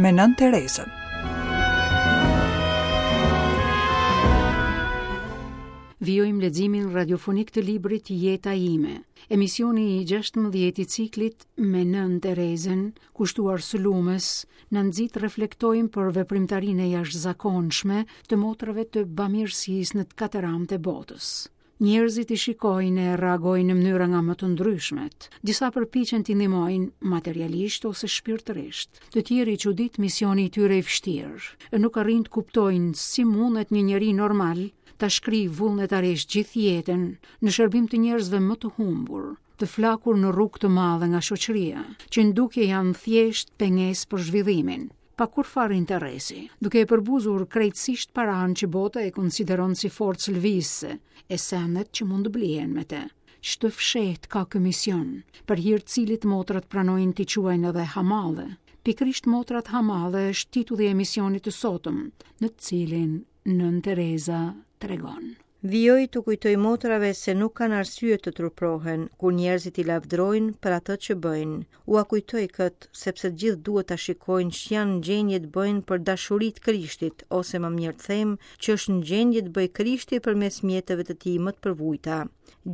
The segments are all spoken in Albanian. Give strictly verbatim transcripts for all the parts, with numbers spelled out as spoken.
me Nënë Terezën. Vijojmë leximin radiofonik të librit Jeta ime, emisioni i gjashtëmbëdhjetë i ciklit me Nënë Terezën, kushtuar së lumës, na nxit reflektojmë për veprimtarinë e jashtëzakonshme të motrave të bamirësisë në të katër anët e botës. Njerëzit i shikojnë e reagojnë në mënyra nga më të ndryshmet. Disa përpiqen t'i ndihmojnë materialisht ose shpirtërisht. Të tjerë i çudit misioni i tyre i vështirë, e nuk arrijnë të kuptojnë si mundet një njeri normal ta shkrijë vullnetarisht gjithë jetën në shërbim të njerëzve më të humbur, të flakur në rrugë të madhe nga shoqëria, që në dukje janë thjesht pengesë për zhvillimin, pa kurrfarë interesi, duke e përbuzur krejtësisht paranë që bota e konsideron si forcë lëvizëse, e sendet që mund të blihen me të. Ç'të fshehtë ka ky mision, për hir të cilit motrat pranojnë t'i quajnë edhe hamalle. Pikërisht motrat hamalle është titulli i emisionit të sotëm, në të cilin Nënë Tereza tregon. Vijoj t'u kujtoj motrave se nuk kanë arsye të truprohen kur njerëzit i lavdrojnë për atë që bëjnë. Ua kujtoj këtë sepse të gjithë duhet ta shikojnë ç'janë në gjendje të bëjnë për dashuri të Krishtit, ose më mirë të them, që është në gjendje të bëjë Krishti përmes mjeteve të tij më të përvujta.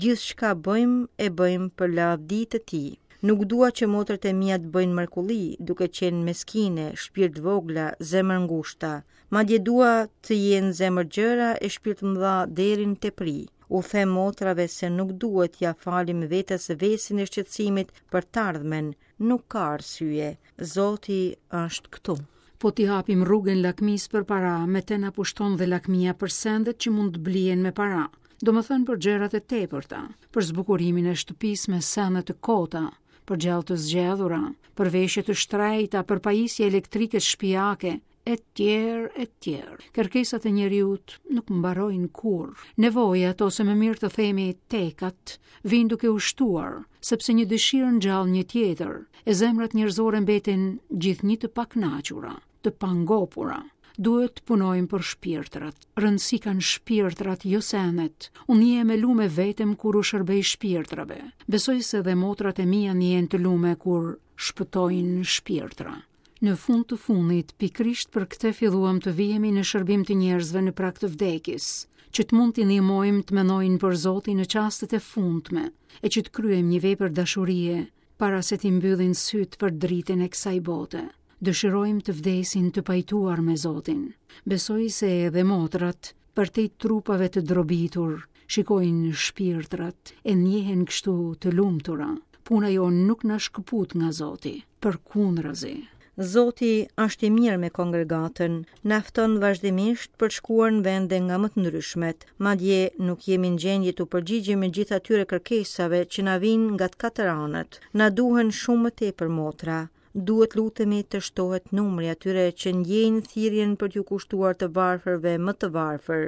Gjithçka bëjmë e bëjmë për lavdi të tij. Nuk dua që motrat e mia të bëjnë mrekulli, duke qenë meskine, shpirt vogla, zemër ngushta. Madje dua të jenë zemër gjëra e shpirt mëdha deri në tepri. U them motrave se nuk duhet t'ia falim vetes vesin e shqetësimit për të ardhmen, nuk ka arsye. Zoti është këtu. Po t'i hapim rrugën lakmisë për para, me të na pushton dhe lakmia për sendet që mund të blihen me para. Do më thënë për gjërat e tepërta, për zbukurimin e shtëpisë me sende të kota, për gjellë të zgjedhura, për veshje të shtrejta, për pajisje elektrike shtëpiake, e tjerë, e tjerë. Kërkesat e njeriut nuk mbarojnë kurrë. Nevojat, ose më mirë të themi tekat, vijnë duke u shtuar, sepse një dëshirë ngjall një tjetër, e zemrat njerëzore mbeten gjithnjë të pakënaqura, të pangopura. Duhet të punojmë për shpirtrat. Rëndësi kanë shpirtrat, jo senet. Unë jem e lume vetëm kur u shërbej shpirtrave. Besoj se dhe motrat e mia ndjehen të lume kur shpëtojnë shpirtra. Në fund të fundit, pikërisht për këtë filluam të vihemi në shërbim të njerëzve në prag të vdekjes, që të mund t'i ndihmojmë të mendojnë për Zotin në çastet e fundme, e që të kryejmë një vepër dashurie para se t'i mbyllin sytë për dritën e kësaj bote. Dëshirojmë të vdesin të pajtuar me Zotin. Besoj se edhe motrat, përtej trupave të drobitur, shikojnë shpirtrat e ndjehen kështu të lumtura. Puna jonë nuk na shkëput nga Zoti, përkundrazi. Zoti është i mirë me kongregatën, na fton vazhdimisht për të shkuar në vende nga më të ndryshmet. Madje nuk jemi në gjendje t'u përgjigjemi gjithë atyre kërkesave që na vijnë nga të katër anët. Na duhen shumë më tepër motra. Duhet lutemi të shtohet numri atyre që ndjejnë thirrjen për t'ju kushtuar të varfërve më të varfër.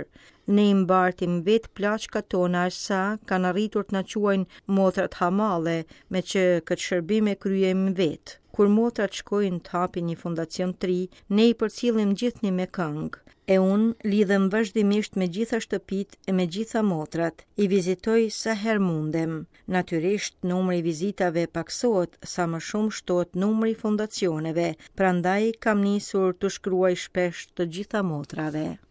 Ne i mbartim vetë plaçkat tona aq sa kanë arritur të na quajnë motrat hamalle, me që këtë shërbim e kryejmë vetë. Kur motrat shkojnë të hapin një fondacion të ri, ne i përcjellim gjithnjë me këngë. E unë lidhem vazhdimisht me gjitha shtëpitë e me gjitha motrat, i vizitoj sa herë mundem. Natyrisht, numri i vizitave paksohet sa më shumë shtohet numri i fondacioneve, prandaj kam nisur të shkruaj shpesh të gjitha motrave.